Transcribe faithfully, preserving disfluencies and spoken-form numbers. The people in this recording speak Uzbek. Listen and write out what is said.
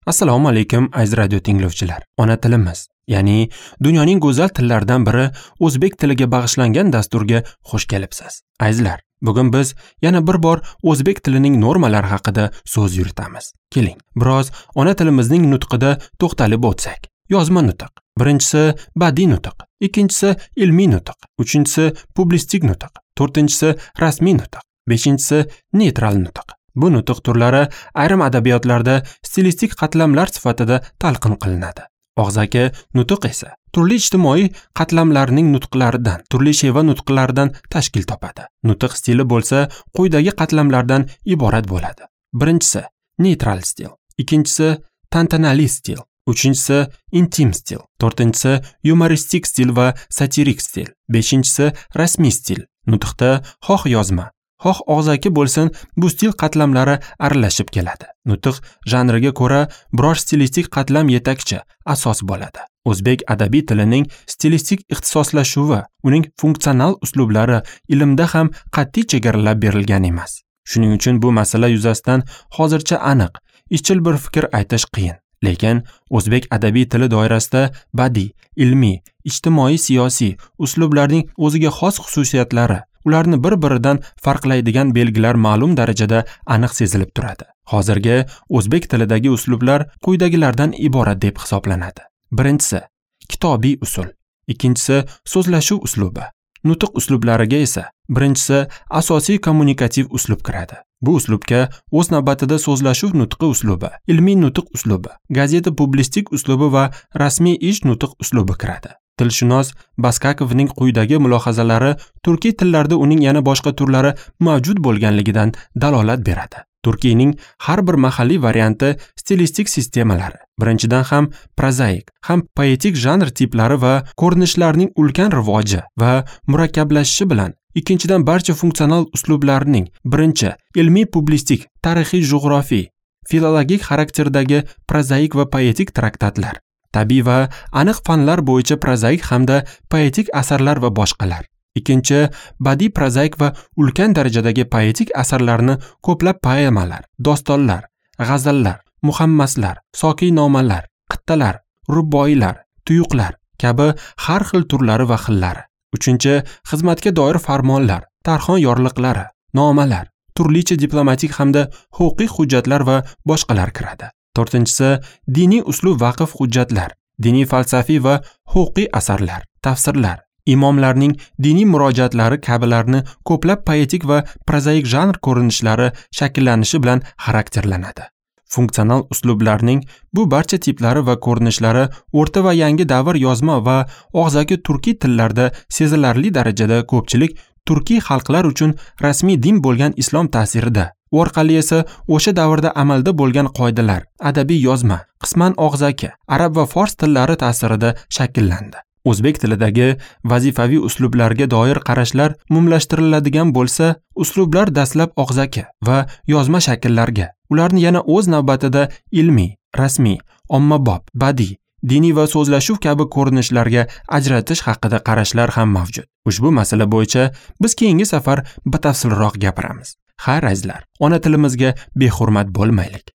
Assalomu alaykum aziz radio tinglovchilar. Ona tilimiz, ya'ni dunyoning go'zal tillaridan biri o'zbek tiliga bag'ishlangan dasturga xush kelibsiz. Azizlar, bugun biz yana bir bor o'zbek tilining normalari haqida so'z yuritamiz. Keling, biroz ona tilimizning nutqida to'xtalib o'tsak. Yozma nutq. Birinchisi badiiy nutq, ikkinchisi ilmiy nutq, uchinchisi publistik nutq, to'rtinchisi rasmiy nutq, beshinchisi neytral nutq. Bu nutq turlari ayrim adabiyotlarda stilistik qatlamlar sifatida talqin qilinadi. Og'zaki nutq esa turli ijtimoiy qatlamlarning nutqlaridan, turli sheva nutqlaridan tashkil topadi. Nutq stili bo'lsa quyidagi qatlamlardan iborat bo'ladi. Birinchisi neytral stil, ikkinchisi tantanali stil, uchinchisi intim stil, to'rtinchisi yumoristik stil va satirik stil, beshinchisi rasmiy stil. Nutqda xoh yozma, xoh og'zaki bo'lsin, bu stil qatlamlari aralashib keladi. Nutq janriga ko'ra biror stilistik qatlam yetakchi, asos bo'ladi. O'zbek adabiy tilining stilistik ixtisoslashuvi, uning funksional uslublari ilmda ham qat'iy chegaralab berilgan emas. Shuning uchun bu masala yuzasidan hozircha aniq, izchil bir fikr aytish qiyin. Lekin o'zbek adabiy tili doirasida badiiy, ilmiy, ijtimoiy, siyosiy uslublarning o'ziga xos xususiyatlari, ularni bir-biridan farqlaydigan belgilar ma'lum darajada aniq sezilib turadi. Hozirgi o'zbek tilidagi uslublar quyidagilardan iborat deb hisoblanadi. Birinchisi kitobiy usul, ikkinchisi so'zlashuv uslubi. Nutq uslublariga esa birinchisi asosiy kommunikativ uslub kiradi. Bu uslubga o'z navbatida so'zlashuv nutqi uslubi, ilmiy nutq uslubi, gazeta publistik uslubi va rasmiy ish nutq uslubi kiradi. Tilshunos Baskakovning quyidagi mulohazalari turkiy tillarda uning yana boshqa turlari mavjud bo'lganligidan dalolat beradi. Turkiyning har bir mahalliy varianti stilistik sistemalari, birinchidan ham prozaik, ham poetik janr tiplari va ko'rinishlarning ulkan rivoji va murakkablashishi bilan, ikkinchidan barcha funksional uslublarning birinchi ilmiy publistik, tarixiy jug'rofiy, filologik xarakterdagi prozaik va poetik traktatlar, tabiiy va aniq fanlar bo'yicha prozaik hamda poetik asarlar va boshqalar. Ikkinchi, badiiy prozaik va ulkan darajadagi poetik asarlarni ko'plab poemalar, dostonlar, g'azallar, muhammaslar, sokiynomalar, qittalar, rubboiylar, tuyuqlar kabi har xil turlari va xillari. Uchinchi, xizmatga doir farmonlar, tarxon yorliqlari, nomalar, turlicha diplomatik hamda huquqiy hujjatlar va boshqalar kiradi. To'rtinchisi, diniy uslub vaqf hujjatlar, diniy falsafiy va huquqiy asarlar, tafsirlar, imomlarning diniy murojaatlari kabilarni ko'plab poetik va prozaik janr ko'rinishlari shakllanishi bilan xarakterlanadi. Funksional uslublarning bu barcha tiplari va ko'rinishlari o'rta va yangi davr yozma va og'zaki turkiy tillarda sezilarli darajada ko'pchilik turkiy xalqlar uchun rasmiy din bo'lgan islom ta'sirida, u orqali esa o'sha davrda amalda bo'lgan qoidalar, adabiy yozma, qisman og'zaki, arab va fors tillari ta'sirida shakllandi. O'zbek tilidagi vazifaviy uslublarga doir qarashlar umumlashtiriladigan bo'lsa, uslublar dastlab og'zaki va yozma shakllarga, ularni yana o'z navbatida ilmiy, rasmiy, ommabop, badiiy, diniy va so'zlashuv kabi ko'rinishlarga ajratish haqida qarashlar ham mavjud. Ushbu masala bo'yicha biz keyingi safar batafsilroq gapiramiz. Xayr azizlar, ona tilimizga behurmat bo'lmaylik.